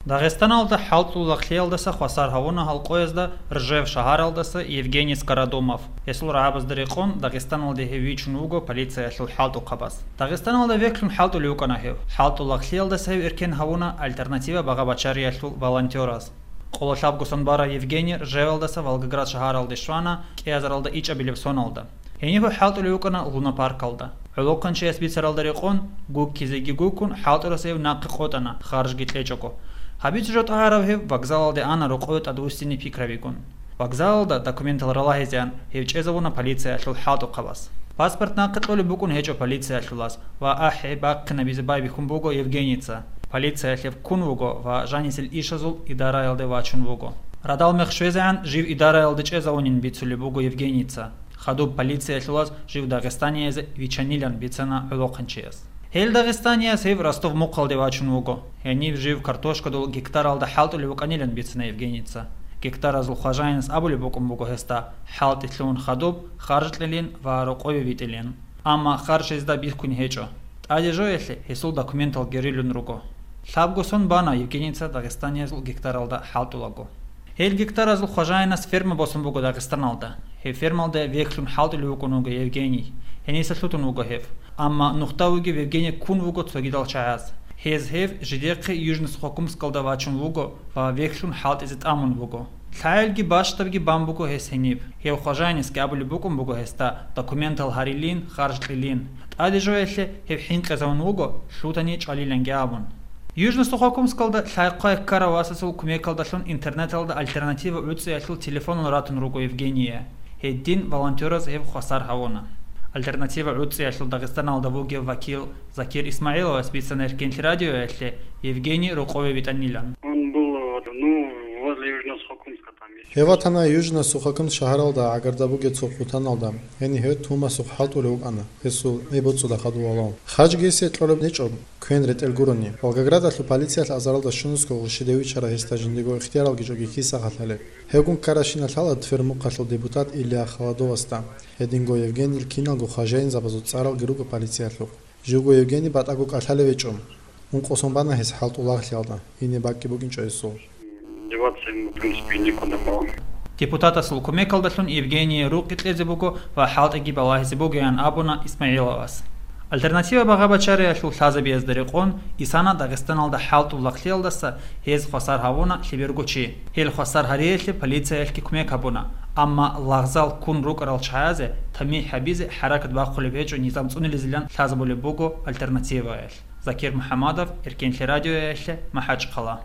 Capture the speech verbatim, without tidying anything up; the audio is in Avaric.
Дагъистаналда хӀалтӀул лагълъиялдаса хвасар гьавуна гьал къоязда Ржев шагьаралдаса Евгений Скородумов. Гьесул рагӀабазда рекъон Дагъистаналде гьев вичун вуго полициялъул хӀалтӀухъабаз. Дагъистаналда вехьлъун хӀалтӀулев вукӀана гьев. ХӀалтӀул лагълъиялдаса гьев эркен гьавуна «Альтернатива» багъа-бачариялъул волонтераз. Къоло лъабго сон бара Евгений Ржевалдаса Волгоград шагьаралде щвана кӀиазаралда ичӀабилеб соналда. Гьениб гьев хӀалтӀулев вукӀана лунопаркалда. ГӀолохъанчияс бицаралда рекъон, гуккизеги гуккун, хӀалтӀурас гьев нахъе къотӀана, харжги кьечӀого. Гьабица жо тӀагӀарав гьев вокзалалде ана рокъове тӀадвуссине пикрабигун. Вокзалалда документал ралагьизеан гьев чӀезавуна полициялъул хӀалтӀухъабаз. Паспорт нахъе кьолеб букӀун гьечӀо полициялъулаз ва ахӀи бахъинабизе байбихьун буго Евгеница. Полициялъ гьев ккун вуго ва жанисел ишазул идараялде вачун вуго. Радал мех щвезегӀан жив идараялде чӀезавунин бицулеб буго Евгеница. Хадуб полициялъулаз жив дагъистаниязе вичанилан бицана гӀолохъанчияс. Гьел дагъистанияс гьев Ростов-Мухъалде вачун вуго. Гьениб жив картошкадул гектаралда хӀалтӀулев вукӀанилан бицана Евгеница. Гектаразул хважаинас абулеб букӀун буго гьесда хӀалтӀи лъугьун хадуб, харж кьелин ва рокъове витӀилин. Амма харж гьезда бихьун гьечӀо. ТӀаде жоялъе гьесул документал герилун руго. Лъабго сон бана Евгеница дагъистаниязул гектаралда хӀалтӀулаго. Гьел гектаразул хважаинас ферма босун буго Дагъистаналда. Гьеб фермалда вехьлъун хӀалтӀулев вукӀун вуго Евгений. Гьениса лъутун вуго гьев. Амма нухда вугев Евгений ккун вуго цогидал чагӀаз. Гьез гьев жидехъе Южно-Сухокумскалда вачун вуго ва вехьлъун хӀалтӀизе тӀамун буго. ЛъагӀелги бащдабги бан буго гьес гьениб. Гьев хважаинасги абулеб букӀун буго гьесда документал гьарилин, харж кьилин. ТӀаде жоялъе гьев хӀинкъизавун вуго, лъутани чӀвалиланги абун. Южно-Сухокумскалда лъай-хъвай ккарав васасул кумекалдалъун интернеталда «Альтернатива» гӀуцӀиялъул телефонал ратун руго Евгения. Гьедин волонтераз гьев хвасар гьавуна. «Альтернатива» гӀуцӀиялъул Дагъистаналда вугев вакил Закир ИсмагӀиловас бицана Эркенлъи радиоялъе Евгений рокъове витӀанилан. Он был, ну, возле Южно-Сухокумска там есть. Гьев ватана Южно-Сухокумск шагьаралда гӀагарда бугеб цо хъутаналда. Гьениб гьев Тумасухъ хӀалтӀулев вукӀана, гьесул гӀеббуцӀуда хадув валав. Харжги гьесие кьолеб гьечӀо, квен ретӀел гурони. Волгоградалъул полициялъ азаралда щунусго гъурщиде вичара гьесда жиндего ихтияралги чӀоги киса хӀалалеб. Гьевгун ккарабщинаб лъала Твермухъалъул депутат Илья Холодовасда. Гьединго Евгенил киналго хважаинзабазул цӀаралги руго полициялъухъ. Живго Евгений батӀаго кӀалъалев гьечӀо. Ункъо сон бана гьес хӀалтӀул лагълъиялда, гьениб бакӀги букӀинчӀо гьесул. Деваться ему, в принципе, некуда было. Депутатасул кумекалдалъун Евгения рукъи кьезе буго ва хӀалтӀиги балагьизе бугеян абуна ИсмагӀиловас. «Альтернатива» багъа-бачариялъул лъазабиязда рекъон исана Дагъистаналда хӀалтӀул лагълъиялдаса гьез хвасар гьавуна лъеберго чи. Гьел хвасар гьариялъе полициялъги кумек гьабуна, амма лагъзал ккун рукӀарал чагӀазе тамихӀ гьабизе хӀаракат бахъулеб гьечӀо низам цӀунилизилан лъазабулеб буго «Альтернативаялъ». Закир МухӀамадов, Эркенлъи радиоялъе, МахӀачхъала.